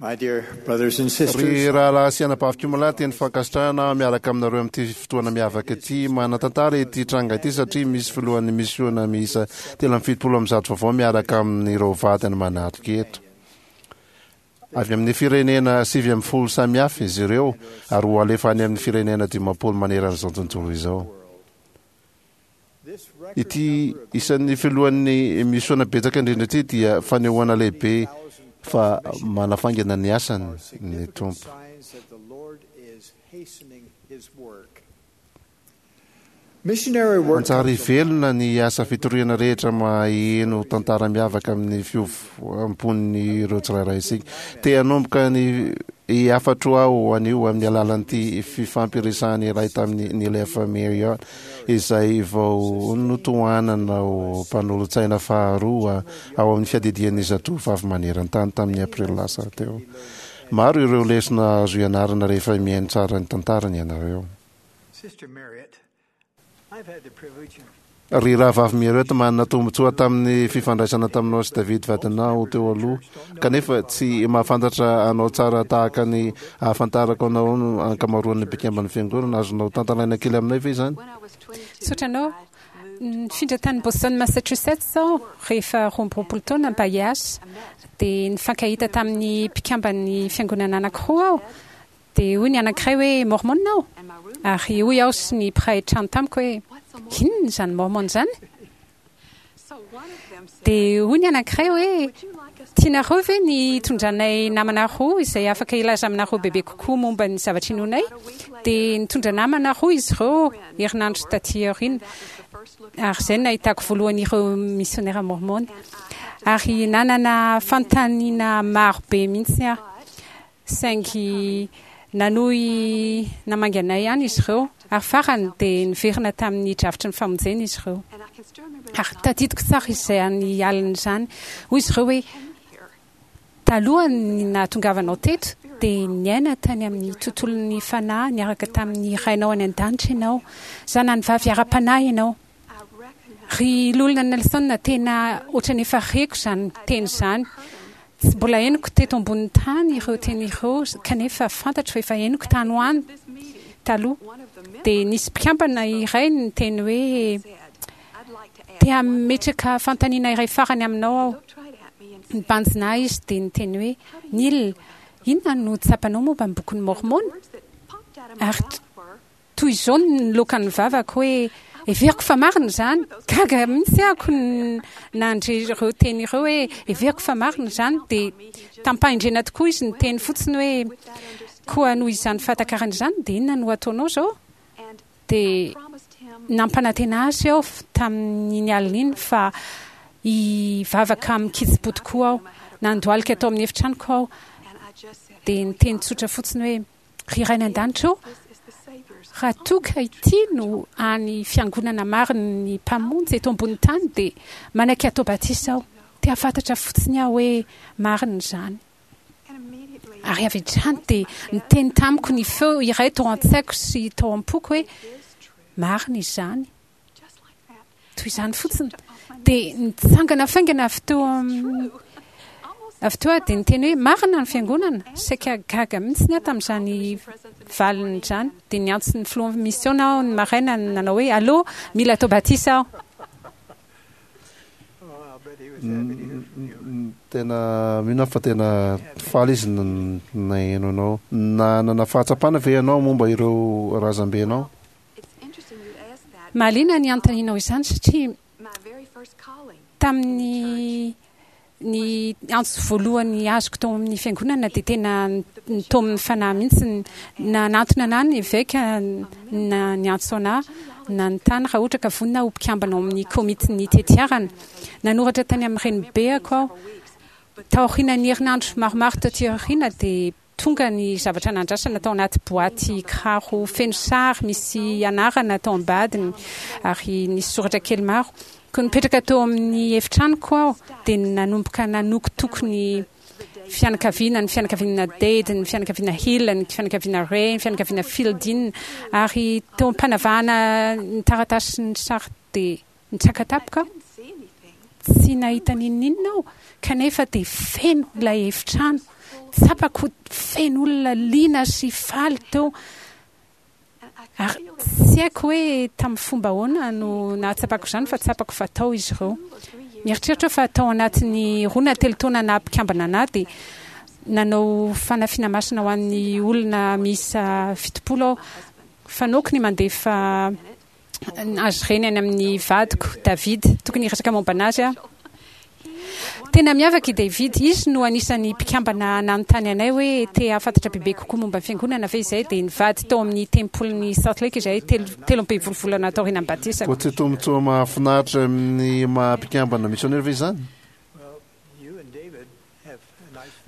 My dear brothers and sisters, Ry rahalahy sy anabavy Kimolahy, teny fankasitrahana aho miaraka aminareo amin'ity fotoana miavaka ity. Manan-tantara ity tranga ity satria misy filohan'ny misiona miisa 173 vaovao miaraka amin'ireo vadiny manatrika eto. Avy amin'ny firenena 19 samihafa izy ireo ary ho alefa any amin'ny firenena 50 manerana izao tontolo izao. Ity isan'ny filohan'ny misiona betsaka indrindra ity dia fanehoana lehibe fa manafaingana ny asany ny Tompo. Hanjary velona ny asa fitoriana rehetra maheno tantara miavaka amin'ny fiovam-pon'ireo tsirairay isika. Te hanomboka ny hafatro aho anio amin'ny alalan'ity fifampiresahana iray tamin'i Neil F. Marriott izay vao notohanana ho mpanolotsaina faharoa ao amin'ny fiadidian'ny zatovovavy maneran-tany tamin'ny aprily lasa teo. Maro ireo lesona azo ianarana rehefa mihaino tsara ny tantarany ianareo. Ry Rahavavy Mierot, manana tombontsoa tamin'ny fifandraisana taminao sy David vadinao teo aloha, kanefa tsy mahafantatra anao tsara tahaka ny ahafantarako anao ny ankamaroan'ny mpikamban'ny Fiangonana. Azonao tantaraina kely aminay ve izany? Misaotra anao. Nifindra tany Boston, Massachusetts aho rehefa 22 taona mba hiasa. Dia nifankahita tamin'ny mpikamban'ny Fiangonana anankiroa aho. Dia hoy ny anankiray hoe, Mormon aho. Ary hoy aho sy ny mpiray trano tamiko hoe, Inona izany Mormon izany? Dia hoy ny anankiray hoe, Tianareo ve ny hitondranay namana roa izay afaka hilaza aminareo bebe kokoa momba ny zavatra inoanay? Dia nitondra namana roa izy ireo herinandro tatỳ aoriana. Ary izay no nahitako voalohany ireo misionera mormon. Ary nanana fanontaniana maro be mihitsy aho. Saingy nanohy namangy anay ihany izy ireo, ary farany dia niverina tamin'ny drafitry ny famonjena izy ireo. Ary tadidiko tsara izany alina izany. Hoy izy ireo hoe, Talohan'ny nahatongavanao teto, dia niaina tany amin'ny tontolon'ny fanahy niaraka tamin'ny Rainao any An-danitra ianao. Zanany vavy ara-panahy ianao. Ry Loholona Nelson, tena ohatran'ny efa reko izany teny izany. Tsy mbola henoko teto ambonin'ny tany ireo teny ireo, kanefa fantatro fa efa henoko tany ho any taloha. Dia nisy mpikambana iray niteny hoe, Te hametraka fanontaniana iray farany aminao aho. Nibanjina ahy izy dia niteny hoe, Neil, inona no tsapanao momba ny Bokin'i Môrmôna? Ary Toy izao no niloaka ny vavako hoe, Heveriko fa marina izany! Gaga mihitsy aho nandre ireo teny ireo hoe, Heveriko fa marina izany! Dia tamim-pahendrena tokoa izy niteny fotsiny hoe, Koa noho izany fahatakarana izany, dia inona no hataonao izao? Dia nampanantena azy aho tamin'iny alina iny fa hivavaka amin-kitsim-po tokoa aho. Nandohalika tao amin'ny efitranoko aho, dia niteny tsotra fotsiny hoe, Ry Ray any An-danitra ô, raha toa ka ity no hany fiangonana marin'ny Mpamonjy eto ambonin'ny tany dia manaiky hatao batisa aho. Te hahafantatra fotsiny aho hoe marina izany. Ary avy hatrany dia niteny tamiko ny feo iray tao an-tsaiko sy tao am-poko hoe, Marina izany. Toy izany fotsiny. Dia nitsangana faingana avy teo avy teo aho dia niteny hoe marina ny fiangonana. Saika gaga mihitsy aho tamin'izany valiny izany. Dia niantso ny filohan'ny misiona aho ny maraina nanao hoe allo, mila atao batisa aho. Tena mino aho fa tena faly izy naheno anao. Nanana fahatsapana ve ianao momba ireo razambenao? Mahaliana ny anontanianao izany satria tamin'ny ny antso voalohany azoko tao amin'ny fiangonana dia tena nitaomin'ny fanahy mihitsy. Nanantona anà ny eveka na niantso anà nanontany raha ohatra ka vonona aho ho mpikambana ao amin'ny komitin'ny tetiarana. Nanoratra tany amin'ny renibeako aho. Taorian'ny herinandro maromaro taty aoriana dia Tonga ny zavatra nandrasana tao anaty boaty kiraro feno sary misy anarana tao ambadiny ary nisy soratra kely maro. Koa nipetraka teo amin'ny efitranoko aho dia nanomboka nanokotoko ny fianakaviana, ny fianakaviana Dade, ny fianakaviana Hill, ny fianakaviana Ray, ny fianakaviana Fielding ary teo am-panavahana ny taratasy sy ny sary dia Nitsaka tampoka aho. Tsy nahita n'inon'inona aho, kanefa dia feno ilay efitrano. Tsapako feno olona liana sy faly teo. Ary tsy haiko hoe tamin'ny fomba ahoana no nahatsapako izany fa tsapako fa tao izy ireo. Mieritreritra aho fa tao anatin'ny roa na telo taona naha mpikambana anà dia nanao fanafiana masina ho an'ny olona miisa 70 aho. Fanaoko ny mandefa azy ireny any amin'ny vadiko, David. Tokony hiresaka momba an'azy aho. Tena miavaka i David. Izy no anisan'ny mpikambana nanontany anay hoe te hahafantatra bebe kokoa momba ny fiangonana ve izahay, dia nivady tao amin'ny tempolin'i Salt Lake izahay 13 volana taorian'ny batisako. Koa tsy tombontsoa mahafinaritra amin'ny maha mpikambana misionera ve izany?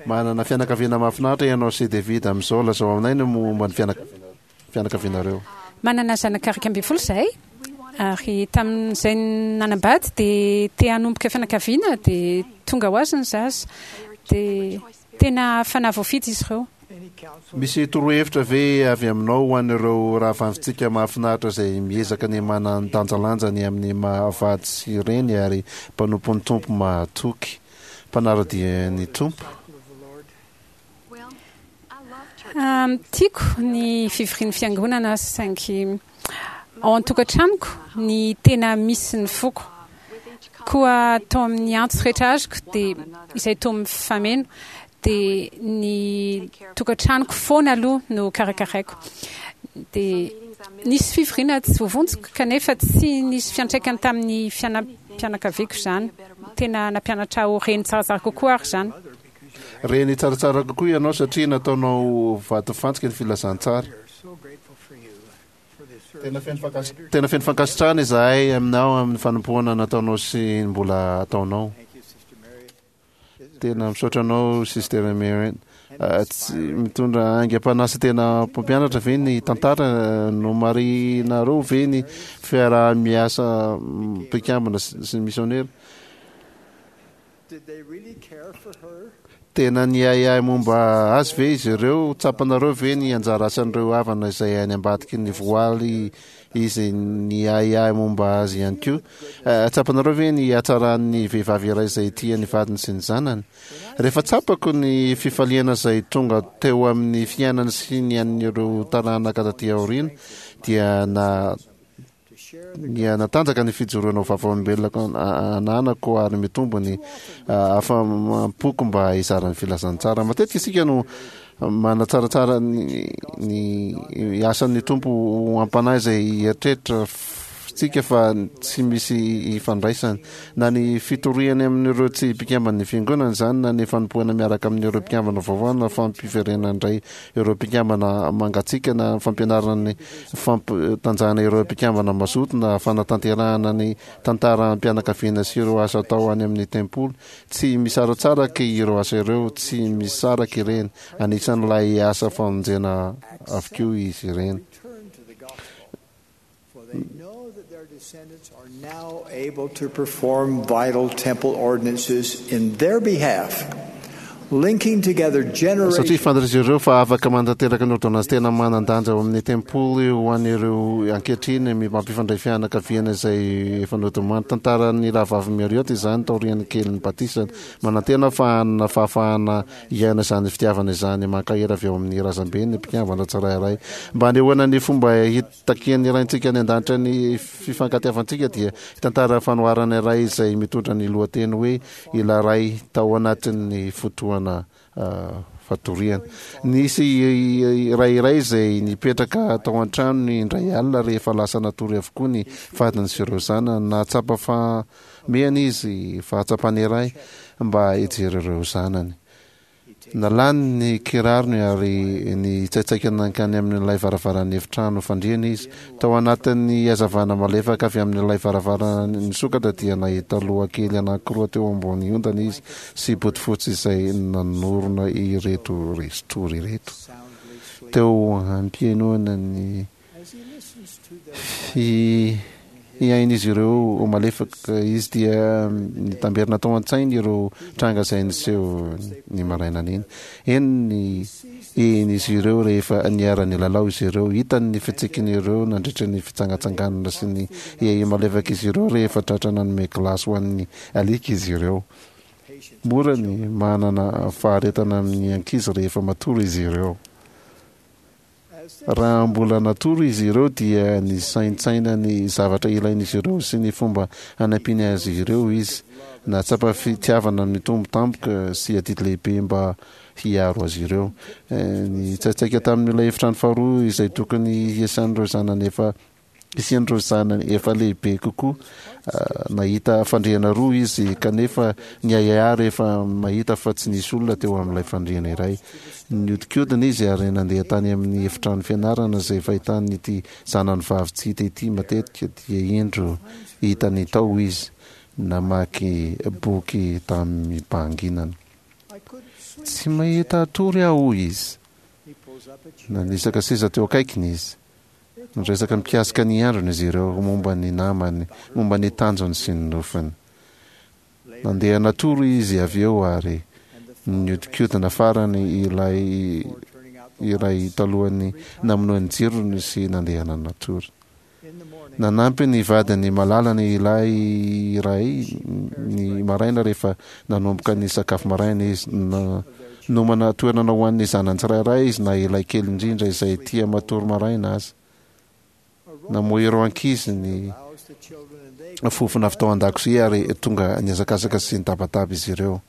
Manana fianakaviana mahafinaritra ianao sy David amin'izao. Lazao aminay ny momba ny fianakavianareo. Manana zanaka 11 izahay, ary tamin'izay nanambady dia te hanomboka fianakaviana dia tonga ho azy ny zaza. Dia tena fanahy voafidy izy ireo. Misy torohevitra ve avy aminao ho an'ireo rahavavintsika mahafinaritra izay miezaka ny manandanjalanja ny amin'ny maha vady sy reny ary mpanompon'ny Tompo mahatoky, mpanara-dia ny Tompo? Tiako ny fivorian'ny fiangonana saingy ao an-tokantranoko ny tena misy ny foko. Koa tao amin'ny antso rehetra azoko dia izay toa mifameno dia ny tokantranoko foana aloha no karakaraiko. Dia nisy fivoriana tsy voavonjiko kanefa tsy nisy fiantraikany tamin'ny fiainam-pianakaviako izany. Tena nampianatra ahy ho reny tsaratsara kokoa ary izany. Reny tsaratsara kokoa ianao satria nataonao vatofantsika ny filazantsara. Tena feno fankasitrahana izahay aminao amin'ny fanompoana nataonao sy ny mbola ataonao. Tena misaotra anao Sister Marion. Tsy mitondra aingam-panahy sy tena mpampianatra ve ny tantara? Nomarihinareo ve ny fiaraha-miasa mpikambana sy ny misionera? Tena niahiahy momba azy ve izy ireo? Tsapanareo ve ny anjara asan'ireo havana izay any ambadiky ny voaly izy niahiahy momba azy ihany koa? Tsapanareo ve ny hatsaran'ny vehivavy iray izay tia ny vadiny sy ny zanany? Rehefa tsapako ny fifaliana izay tonga teo amin'ny fiainany sy ny an'ireo taranaka taty aoriana dia na Nihanatanjaka ny fijoroana ho vavolombelona ananako ary mitombo ny afa-poko mba hizara ny filazantsara. Matetika isika no manatsaratsara ny asan'ny Tompo ho am-panahy izay eritreritra tsika fa tsy misy ifandraisany. Na ny fitoriany amin'ireo tsy mpikamban'ny fiangonana izany, na ny fanompoana miaraka amin'ireo mpikambana vaovao, na fampiverenana indray ireo mpikambana mangatsiaka, na fampianarana ny fampitanjahana ireo mpikambana mazoto na fanatanterahana ny tantaram-pianakaviana sy ireo asa atao any amin'ny tempoly. Tsy misaratsaraka ireo asa ireo, tsy misaraka ireny. Anisan'ilay asa famonjena avokoa izy ireny. For they know that their descendants are now able to perform vital temple ordinances in their behalf, linking together Satria generations. fantatr'izy ireo fa afaka manatanteraka ny ôrdônansy tena manan-danja ao amin'ny tempoly ho an'ireo ankehitriny mampifandray fianakaviana izay efa nodimandry. Tantaran'ny Rahavavy Marriott izany taorian'ny kelin'ny batisany. Manantena aho fa hanana fahafahana hiaina izany fitiavana izany mankahery avy ao amin'ny razambeny ny mpikambana tsirairay. Mba hanehoana ny fomba Takian'ny Raintsika any An-danitra ny fifankatiavantsika dia hitantara fanoharana iray izay mitondra ny lohateny hoe Ilay Ray tao anatin'ny fotoana fatoriana. Nisy ray iray izay nipetraka tao an-tranony indray alina rehefa lasa natory avokoa ny vadiny sy ireo zanany. Nahatsapa fahamehana izy, fahatsapana iray mba hijery ireo zanany. Nalany ny kirarony ary nitsaitsaika nankany amin'ilay varavaran'ny efitrano fandriana izy. Tao anatin'ny hazavana malefaka avy amin'ilay varavarana nisokatra dia nahita loha kely anankiroa teo ambony ondana izy sy bodofotsy izay nanorina ireto resin-tory ireto. Teo am-pihainoana ny Fihain'izy ireo ho malefaka izy dia nitamberina tao an-tsainy ireo tranga izay niseho ny marainan'iny. Henony izy ireo rehefa niara-nilalao izy ireo. Hitany ny fitsikin'ireo nandritra ny fitsangatsanganana sy ny hehy malefak'izy ireo rehefa tratra nanome gilasy ho an'ny alika izy ireo. Mora ny manana faharetana amin'ny ankizy rehefa matory izy ireo. Raha mbola natory izy ireo dia nisaintsaina ny zavatra ilain'izy ireo sy ny fomba hanampiany azy ireo izy. Nahatsapa fitiavana mitombo tampoka sy adidy lehibe mba hiaro azy ireo. Nitsaitsaika tamin'ilay efitrano faharoa izay tokony hiasan'ireo zanany efa Hisian'ireo zanany efa lehibe kokoa. Nahita fandriana roa izy, kanefa niahiahy rehefa mahita fa tsy nisy olona teo amin'ilay fandriana iray. Nihodinkodina izy ary nandeha tany amin'ny efitrano fianarana izay fahitany ity zanany vavy tsy hita ity matetika, dia indro hitany tao izy, namaky boky tamim-pahanginana. Tsy mahita hatory aho, hoy izy. Nanisaka seza teo akaikiny izy. Niresaka mikasika ny androny izy ireo, momba ny namany, momba ny tanjony sy ny nofiny. Nandeha natory izy avy eo ary nihodinkodina farany ilay iray talohan'ny namonoany jirony sy nandehana natory. Nanampy ny vadiny malalany ilay iray ny maraina rehefa nanomboka ny sakafo maraina izy. Nomana toerana ho an'ny zanany tsirairay izy na ilay kely indrindra izay tia matory maraina aza. Namoha ireo ankizy ny fofona avy tao an-dakozia ary tonga nihazakazaka sy nitabataba izy ireo.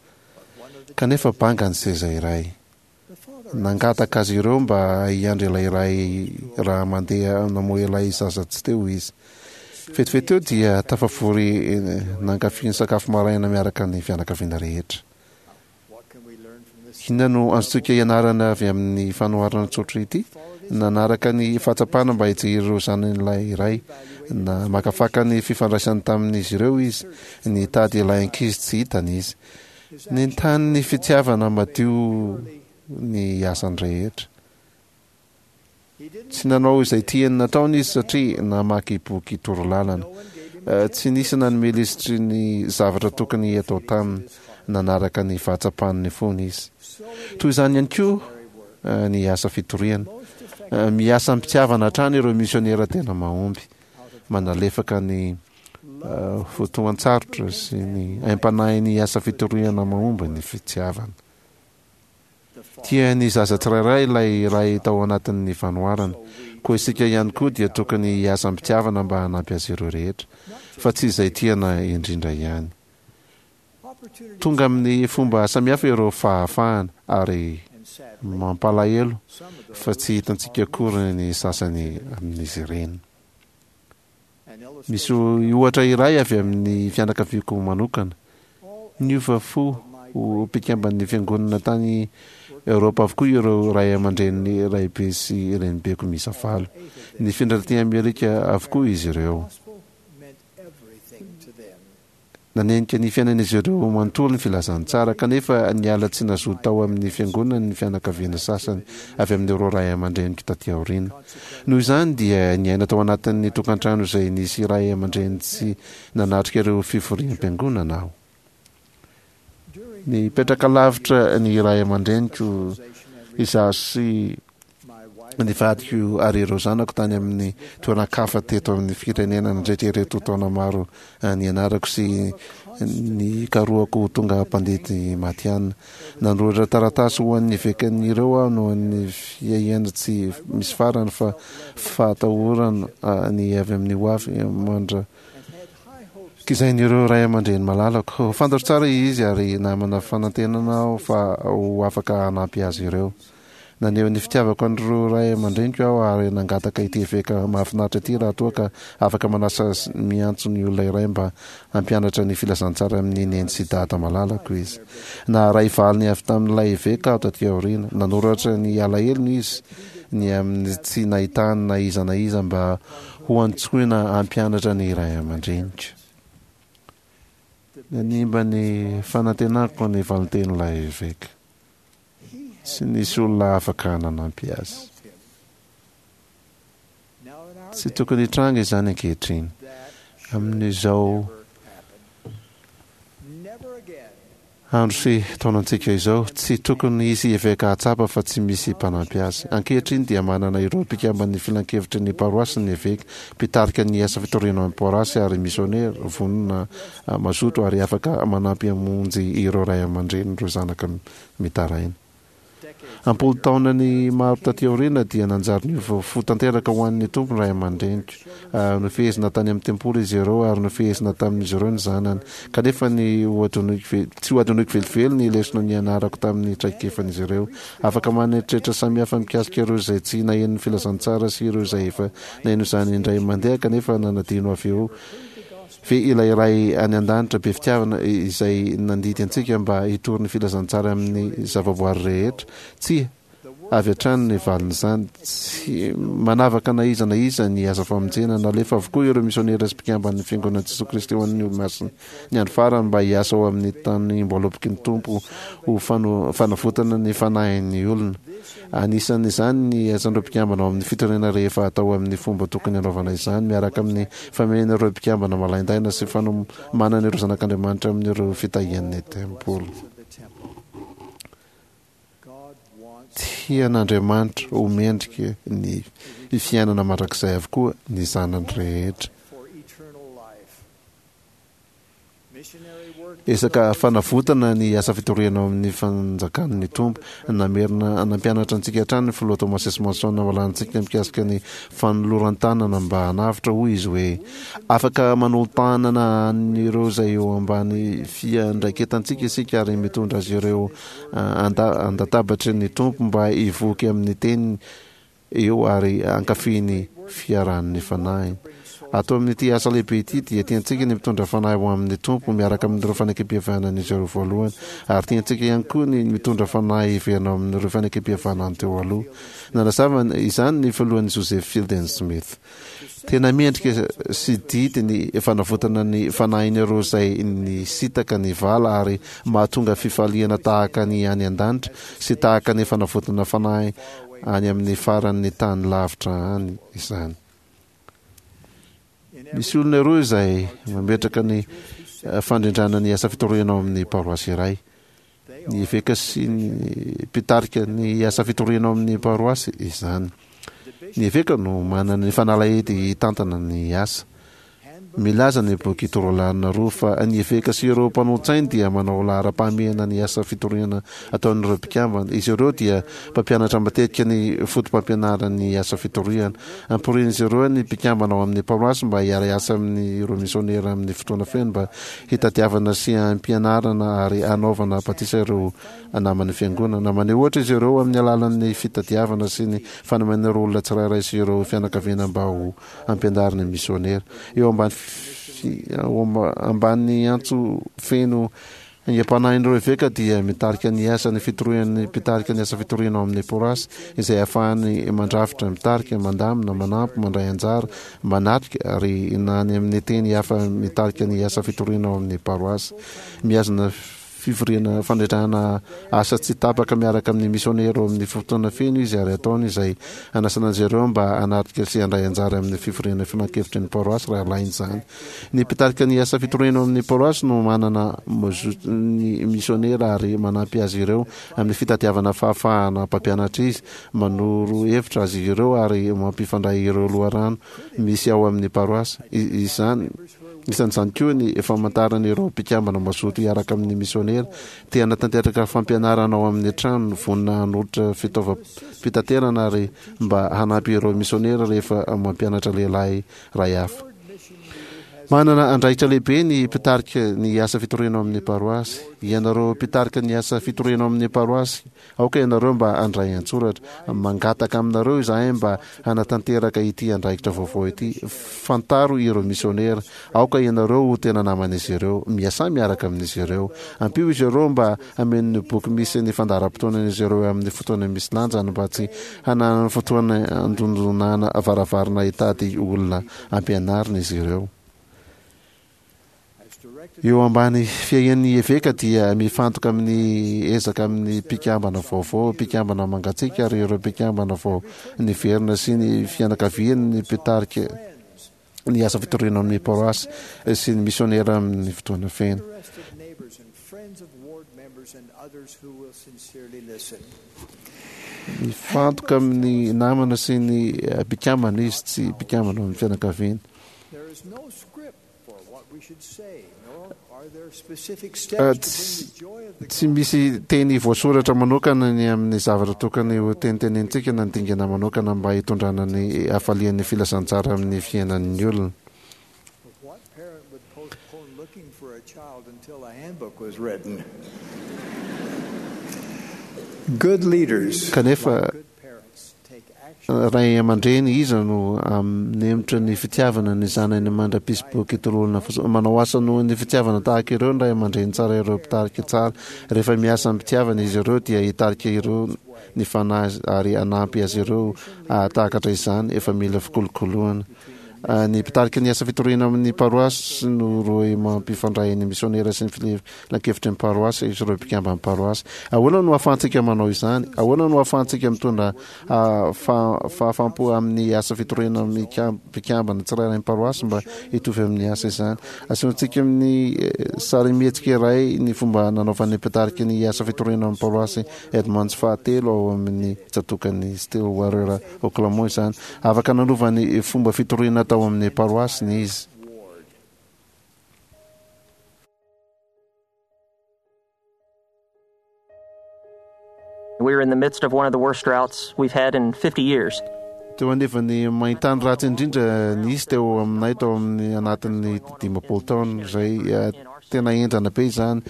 Kanefa banga ny seza iray. Nangataka azy ireo mba hiandry ilay ray raha mandeha namoha ilay zaza tsy teo izy. Vetivety teo dia tafavory nankafy ny sakafo maraina miaraka ny fianakaviana rehetra. Inona no azontsika ianarana avy amin'ny fanoharana tsotra ity? Nanaraka ny fahatsapana mba hijery ireo zanany ilay ray. Namakafaka ny fifandraisany tamin'izy ireo izy. Nitady ilay ankizy tsy hitany izy. Nentanin'ny fitiavana madio ny asany rehetra. Tsy nanao izay tiany nataony izy satria namaky boky torolalana. Tsy nisy nanome lisitry ny zavatra tokony hatao taminy. Nanaraka ny fahatsapan'ny fony izy. Toy izany ihany koa ny asa fitoriana. Miasa am-pitiavana hatrany ireo misionera tena mahomby. Manalefaka ny fotoan-tsarotra sy ny aim-panahin'ny asa fitoriana mahomby ny fitiavana. Tia ny zaza tsirairay ilay ray tao anatin'ny fanoharana. Koa isika ihany koa dia tokony hiasa am-pitiavana mba hanampy azy ireo rehetra, fa tsy izay tiana indrindra ihany. Tonga amin'ny fomba samihafa ireo fahafahana, ary mampalahelo fa tsy hitantsika akory ny sasany amin'izy ireny. Misy ohatra iray avy amin'ny fianakaviako manokana. Niova fo ho mpikamban'ny fiangonana tany Eoropa avokoa ireo ray aman-dreny raibe sy renibeko miisa valo. Nifindra taty Amerika avokoa izy ireo. Nanenika ny fiainan'izy ireo manontolo ny filazantsara, kanefa niala tsy nazoto tao amin'ny fiangonany ny fianakaviana sasany avy amin'ireo ray aman-dreniko taty aoriana. Noho izany dia niaina tao anatin'ny tokantrano izay nisy ray aman-dreny tsy nanatrika ireo fivoriam-piangonana aho. Nipetraka lavitra ny ray aman-dreniko izaho sy ny vadiko ary ireo zanako tany amin'ny toeran-kafa teto amin'ny firenena nandritra ireto taona maro nianarako sy nikarohako ho tonga mpandidy matihanina. Nanoratra taratasy ho an'ny evekan'ireo aho noho ny fiahiana tsy misy farany fa fahatahorana ny avy amin'ny hoavy mandra Kizain'ireo ray aman-dreny malalako. Fantatro tsara izy ary namana fanantenana aho fa ho afaka hanampy azy ireo. Naneho ny fitiavako an'ireo ray aman-dreniko aho ary nangataka ity eveka mahafinaritra ity raha toa ka afaka manasa sy miantso ny olona iray mba hampianatra ny filazantsara amin'ny neny sy dada malalako izy. Naharay valiny avy tamin'ilay eveka aho taty aoriana. Nanoratra ny alahelony izy ny amin'ny tsy nahitany na iza na iza mba ho antsoina hampianatra ny ray aman-dreniko. Nanimba ny fanantenako ny valintenin'ilay eveka. Tsy nisy olona afaka nanampy azy. Tsy tokony hitranga izany ankehitriny. Amin'izao. Andro sy taonantsika izao, tsy tokony hisy eveka hahatsapa fa tsy misy mpanampy azy. Ankehitriny dia manana ireo mpikamban'ny filankevitry ny paroasy ny eveka, mpitarika ny asa fitoriana ao amin'ny paroasy ary misionera, vonona, mazoto ary afaka manampy hamonjy ireo ray aman-drenin'ireo zanaka mitaraina. Am-polo taonany maro taty aoriana dia nanjary niova fo tanteraka ho an'ny Tompo ny ray aman-dreniko. Nofehezina tany amin'ny tempoly izy ireo ary nofehezina tamin'izy ireo ny zanany. Kanefa ny hohadinoiko tsy hohadinoiko velively ny lesona nianarako tamin'ny traikefan'izy ireo. Afaka manana eritreritra samihafa mikasika ireo izay tsy naheno ny filazantsara sy ireo izay efa naheno izany indray mandeha kanefa nanadino avy eo Ve ilay Ray any An-danitra be fitiavana izay nandidy antsika mba hitory ny filazantsara amin'ny zavaboary rehetra? Tsia, avy hatrany ny valin'izany. Tsy manavaka na iza na iza ny asa famonjena. Nalefa avokoa ireo misionera sy mpikamban'ny Fiangonan'i Jesoa Kristy ho an'ny Olomasina ny andro farany mba hiasa ao amin'ny tanim-boaloboky ny Tompo ho fanavotana ny fanahin'ny olona. Anisan'izany ny asan'ireo mpikambana ao amin'ny fitoriana rehefa atao amin'ny fomba tokony hanaovana izany, miaraka amin'ny famehena ireo mpikambana malaindaina sy fanomanana ireo zanak'Andriamanitra amin'ireo fitahian'ny tempoly. Tian'Andriamanitra ho mendrika ny fiainana mandrakizay avokoa ny zanany rehetra. Ezaka fanavotana ny asa fitoriana ao amin'ny fanjakan'ny Tompo. Namerina nampianatra antsika hatrany ny Filoha Thomas S. Monson nambalantsika mikasika ny fanoloran-tanana mba hanavotra, hoy izy hoe, Afaka manolo-tanana an'ireo izay eo ambany fiandraiketantsika isika ary mitondra azy ireo an-databatry ny Tompo mba hivoky amin'ny teniny eo ary hankafy ny fiarahan'ny Fanahiny. Ato amin'ity asa lehibe ity dia tiantsika ny mitondra fanahy ho amin'ny Tompo miaraka amin'ireo fanekempihavanan'izy ireo voalohany, ary tiantsika ihany koa ny mitondra fanahy hiverina ao amin'ireo fanekempihavanany teo aloha. Nanazava izany ny filohan'ny Joseph Fielding Smith. Tena mendrika sy didy ny fanavotana ny fanahin'ireo izay nisintaka ny vala ary mahatonga fifaliana tahaka ny any an-danitra sy tahaka ny fanavotana fanahy any amin'ny faran'ny tany lavitra any izany. Misy olona roa izay mametraka ny fandrindrana ny asa fitoriana ao amin'ny paroasy iray. Ny eveka sy ny mpitarika ny asa fitoriana ao amin'ny paroasy izany. Ny eveka no manana ny fanalahidy hitantana ny asa. Milaza ny boky Torolalana roa fa ny eveka sy ireo mpanolotsainy dia manao laharam-pahamehana ny asa fitoriana ataon'ireo mpikambana. Izy ireo dia mpampianatra matetika ny fotopampianaran'ny asa fitoriana. Amporian'izy ireo ny mpikambana ao amin'ny paroasy mba hiara-hiasa amin'ireo misionera amin'ny fotoana feno mba hitadiavana sy hampianarana ary hanaovana batisa ireo naman'ny fiangonana. Maneho ohatra izy ireo amin'ny alalan'ny fitadiavana sy ny fanomena ireo olona tsirairay sy ireo fianakaviana mba ho ampianarina ny misionera. Eo ambany ambany antso feno aingam-panahin'ireo eveka dia mitarika ny asan'ny fitorian'ny mpitarika ny asa fitoriana ao amin'ny porasy izay ahafahany mandrafitra, mitarika, mandamina, manampy, mandray anjara, manatrika ary na any amin'ny teny hafa mitarika ny asa fitoriana ao amin'ny paroasy. Mihazona Fivoriana fandrindrana asa tsy tapaka miaraka amin'ny misionera ao amin'ny fotoana feno izy ary ataony izay hanasana azy ireo mba hanatrika sy handray anjara amin'ny fivoriana filankevitry ny paroasy raha ilaina izany. Ny mpitarika ny asa fitoriana ao amin'ny paroasy no manana ny misionera ary manampy azy ireo amin'ny fitadiavana fahafahana mpampianatra izy, manoro hevitra azy ireo ary mampifandray ireo loharano misy ao amin'ny paroasy. Izany. Isan'izany koa ny famantarana ireo mpikambana mazoto hiaraka amin'ny misionera te hanatanteraka fampianarana ao amin'ny tranony, vonona hanolotra fitaovam-pitaterana ary mba hanampy ireo misionera rehefa mampianatra lehilahy iray hafa. Manana andraikitra lehibe ny mpitarika ny asa fitoriana ao amin'ny paroasy. Ianareo mpitarika ny asa fitoriana ao amin'ny paroasy, Aoka ianareo mba handray an-tsoratra. Mangataka aminareo izahay mba hanatanteraka ity andraikitra vaovao ity. Fantaro ireo misionera. Aoka ianareo ho tena naman'izy ireo. Miasà miaraka amin'izy ireo. Ampio izy ireo mba hameno ny boky misy ny fandaharam-potoanan'izy ireo amin'ny fotoana misy lanjany mba tsy hananany fotoana handondonana varavarana hitady olona hampianarina izy ireo. Eo ambany fiahian'ny eveka dia mifantoka amin'ny ezaka amin'ny mpikambana vaovao, mpikambana mangatsiaka ary ireo mpikambana vao niverina sy ny fianakaviany ny mpitarika ny asa fitoriana amin'ny paroasy sy ny misionera amin'ny fotoana feno. Mifantoka amin'ny namana sy ny mpikambana izy, tsy mpikambana ao amin'ny fianakaviana. Tsy misy teny voasoratra manokana ny amin'ny zavatra tokony ho tenitenenintsika na ny dingana manokana mba hitondrana ny hafalian'ny filazantsara amin'ny fiainan'ny olona. Kanefa, ray aman-dreny iza no hanemotra ny fitiavana ny zanany mandra-pisy boky tolorana fotsiny? Manao asa noho ny fitiavana tahaka ireo ny ray aman-dreny tsara ireo mpitarika tsara. Rehefa miasa amim-pitiavana izy ireo dia hitarika ireo ny fanahy ary hanampy azy ireo hahatakatra izany efa mila fikolokoloana. Ny mpitarika ny asa fitoriana ao amin'ny paroasy no rohy mampifandray ny misionera sy ny filankevitry ny paroasy sy ireo mpikamban'ny paroasy. Ahoana no ahafahantsika manao izany? Ahoana no ahafahantsika mitondra fahafaham-po amin'ny asa fitoriana mpikambana tsirairay ny paroasy mba hitovy amin'ny asa izany? Asehontsika amin'ny sarimihetsika iray ny fomba nanaovan'ny mpitarika ny asa fitoriana amin'ny paroasy Edmonds fahatelo ao amin'ny tsatòkan'i Stillwater, Oklahoma izany. Afaka nanova ny fomba fitoriana tao amin'ny paroasiny izy. We were in the midst of one of the worst droughts we've had in 50 years. Teo anevan'ny maintany ratsy indrindra nisy teo aminay tao amin'ny anatin'ny 50 taona izay eh, tena henjana be izany.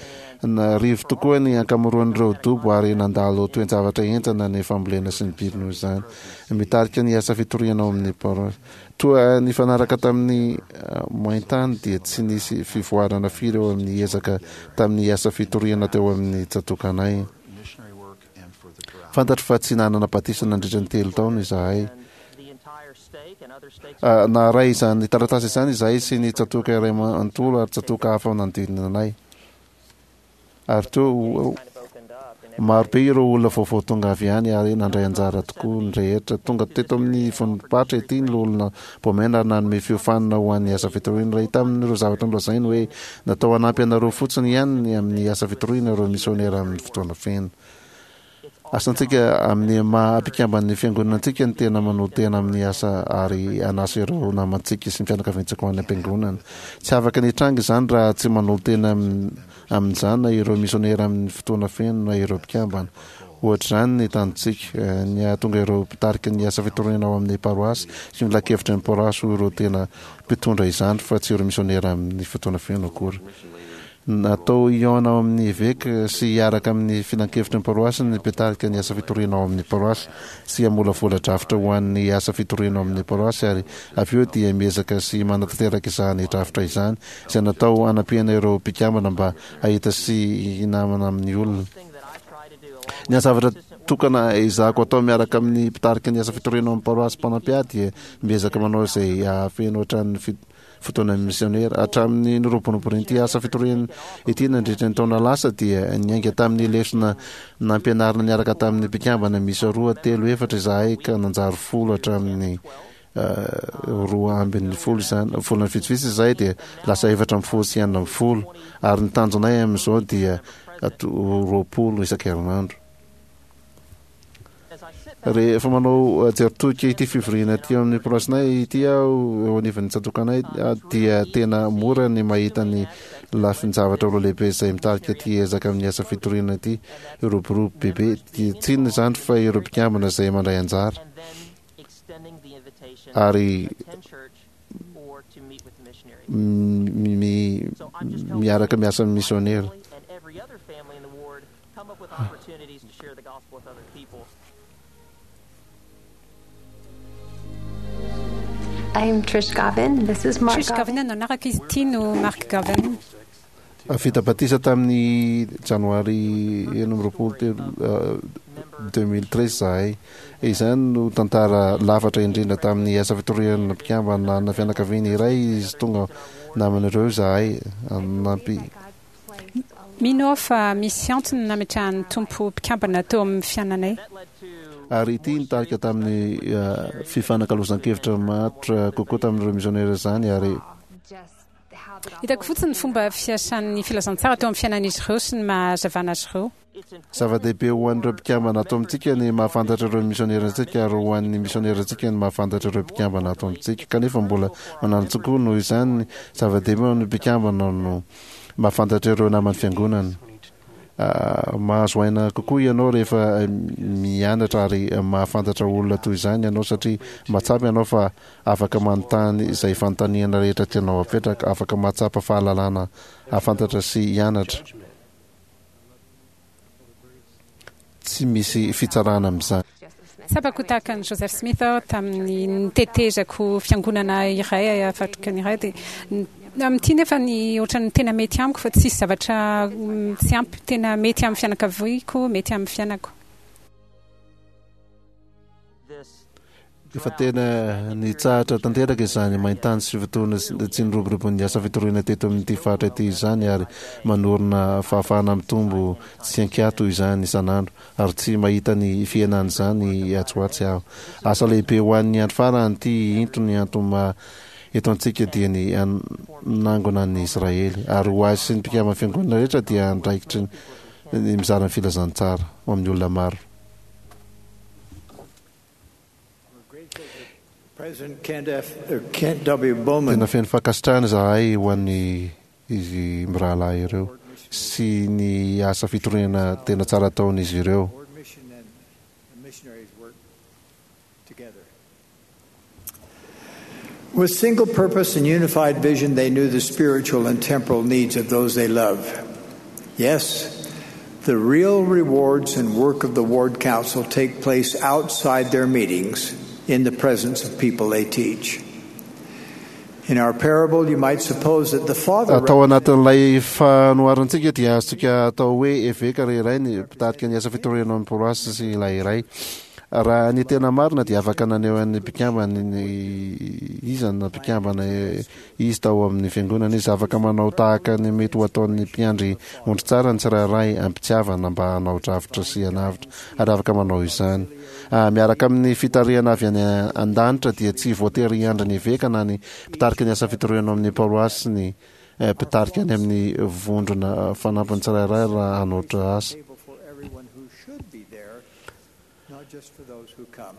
Narivo tokoa ny ankamaroan'ireo dobo ary nandalo toe-javatra henjana ny fambolena sy ny biby noho izany. Mitarika ny asa fitoriana ao amin'ny paroasy. Toa nifanaraka tamin'ny maintany dia tsy nisy fivoarana firy eo amin'ny ezaka tamin'ny asa fitoriana teo amin'ny tsatòkanay. Fantatro fa tsy nanana batisa nandritra ny telo taona izahay. Naharay izany taratasy izany izahay sy ny tsatòka iray manontolo ary tsatòka hafa nanodidina anay. Ary toa maro be ireo olona vaovao tonga avy any ary nandray anjara tokoa ny rehetra. Tonga teto amin'ny ivontom-paritra ity ny Loholona Bowman ary nanome fiofanana ho an'ny asa fitoriana. Iray tamin'ireo zavatra nolazainy hoe natao hanampy anareo fotsiny ihany ny amin'ny asa fitoriana ireo misionera amin'ny fotoana feno. Asantsika amin'ny maha mpikamban'ny Fiangonana antsika ny tena manolo-tena amin'ny asa ary hanasa ireo namantsika sy ny fianakaviantsika ho any am-piangonana. Tsy afaka ny hitranga izany raha tsy manolo-tena amin'izany na ireo misionera amin'ny fotoana feno na ireo mpikambana. Ohatr'izany ny tanjontsika, ny hahatonga ireo mpitarika ny asa fitoriana ao amin'ny paroasy sy ny filankevitry ny paroasy ho ireo tena mpitondra izany fa tsy ireo misionera amin'ny fotoana feno akory. Natao hihaona ao amin'ny eveka sy hiaraka amin'ny filankevitry ny paroasy ny mpitarika ny asa fitoriana ao amin'ny paroasy sy hamolavola drafitra ho an'ny asa fitoriana ao amin'ny paroasy ary avy eo dia miezaka sy manatanteraka izany drafitra izany izay natao hanampiana ireo mpikambana mba hahita sy hinamana amin'ny olona. Ny zavatra tokana ezahako atao miaraka amin'ny mpitarika ny asa fitoriana ao amin'ny paroasy mpanampy ahy dia miezaka manao izay hahafeno hatrany fotoana misionera. Hatramin'ny niroboroboan'ity asa fitoriana ity nandritra ny taona lasa dia niainga tamin'ny lesona nampianarina niaraka tamin'ny mpikambana miisa roa, telo, efatra izahay ka nanjary folo hatramin'ny 12 izany. Volana vitsivitsy izay dia lasa 14 sy 16 ary ny tanjonay amin'izao dia 20 isan-kerinandro. Rehefa manao jeritodika ity fivoriana aty amin'ny paroasinay ity aho eo anivon'ny tsatòkanay dia tena mora ny mahita ny lafin-javatra roa lehibe izay mitarika ity ezaka amin'ny asa fitoriana ity hiroborobo bebe. Tsy inona izany fa ireo mpikambana izay mandray anjara ary miaraka miasa amin'ny misionera. Come up with opportunities to share the gospel with other people. I'm Trish Gavin. This is Mark Trish Gavin no anarako, izy ity no Mark Gavin. Vita batisa tamin'ny janoary 26 2013 izahay. Izany no tantara lafatra indrindra tamin'ny asa fitoriana mpikambana na fianakaviana iray izy tonga naman'ireo izahay. Nampi Mino aho fa misy antony nametrahan'ny Tompo mpikambana teo amin'ny fiainanay. Ary ity nitarika tamin'ny fifanakalozan-kevitra matotra kokoa tamin'ireo misionera izany ary. Hitako fotsiny ny fomba fiasan'ny filazantsara teo amin'ny fiainan'izy ireo sy ny maha hazavana azy ireo. Zava-dehibe ho an'ireo mpikambana ato amintsika ny mahafantatra ireo misionerantsika ary ho an'ny misionerantsika ny mahafantatra ireo mpikambana ato amintsika. Kanefa mbola mananjo koa noho izany, zava-dehibe ho an'ny mpikambana no mahafantatra ireo naman'ny fiangonana. Mahazo aina kokoa ianao rehefa mianatra ary mahafantatra olona toy izany ianao satria mahatsapa ianao fa afaka manontany izay fanontaniana rehetra tianao hapetraka, afaka mahatsapa fahalalana hahafantatra sy hianatra. Tsy misy fitsarana amin'izany. Tsapako ho tahaka an'i Joseph Smith aho tamin'ny nitetezako fiangonana iray Afrikana iray dia amin'ity nefa ny ohatran'ny tena mety amiko fa tsisy zavatra tsy ampy tena mety amin'ny fianakaviako, mety amin'ny fiainako. Efa tena nitsahatra tanteraka izany main-tany sy fotoana tsy niroborobon'ny asa fitoriana teto amin'ity faritra ity izany ary manorina fahafahana mitombo tsy an-kiato izany isan'andro ary tsy mahita ny fihenan'izany atsy ho atsy aho. Asa lehibe ho an'ny andro farany ity into ny antony maha eto antsika dia ny hanangona an'i Israely ary ho ahy sy ny mpikamban'ny fiangonana rehetra dia andraikitry ny mizara ny filazantsara ho amin'ny olona maro. Tena feno fankasitrahana izahay ho an'ny izy mirahalahy ireo sy ny asa fitoriana tena tsara ataon'izy ireo. With single purpose and unified vision, they knew the spiritual and temporal needs of those they love. Yes, the real rewards and work of the Ward Council take place outside their meetings in the presence of people they teach. In our parable, you might suppose that the father. Tao anatin'ilay fanoharantsika dia azontsika atao hoe eveka ry iray ny mpitarika ny asa fitoriana ao amin'ny paroasy sy ilay iray. Raha ny tena marina dia afaka naneho an'ny mpikambana iza na mpikambana izy tao amin'ny fiangonana izy. Afaka manao tahaka ny mety ho ataon'ny mpiandry ondry tsara ny tsirairay am-pitiavana mba hanao drafitra sy hanavotra ary afaka manao izany. Miaraka amin'ny fitarihana avy any an-danitra dia tsy voatery hiandry ny eveka na ny mpitarika ny asa fitoriana ao amin'ny paroasy ny mpitarika any amin'ny vondrona fanampiny tsirairay raha hanoatra asa. Not just for those who come.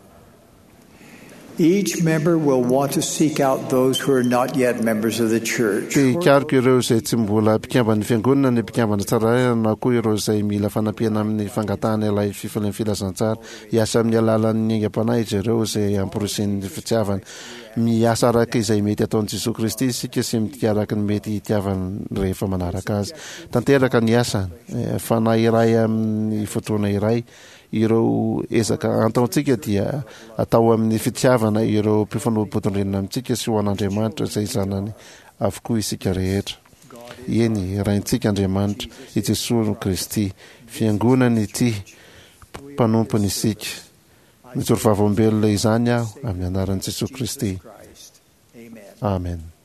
Each member will want to seek out those who are not yet members of the church. Te hikaroka ireo izay tsy mbola mpikamban'ny fiangonana ny mpikambana tsirairay na koa ireo izay mila fanampiana amin'ny fangatahana ilay fifalian'ny filazantsara. Hiasa amin'ny alalan'ny aingam-panahy izy ireo izay amporisihin'ny fitiavana. Miasa araka izay mety ataon'i Jesoa Kristy isika sy mitia araka ny mety hitiavany rehefa manaraka Azy. Tanteraka ny asany. Fanahy iray amin'ny fotoana iray. Ireo ezaka antaontsika dia atao amin'ny fitiavana ireo mpifanolo-bodirindrina amintsika sy ho an'Andriamanitra izay zanany avokoa isika rehetra. Eny, Raintsika Andriamanitra, i Jesoa Kristy, Fiangonany ity, mpanompony isika. Mijoro vavolombelona izany aho amin'ny anaran'i Jesoa Kristy. Amen.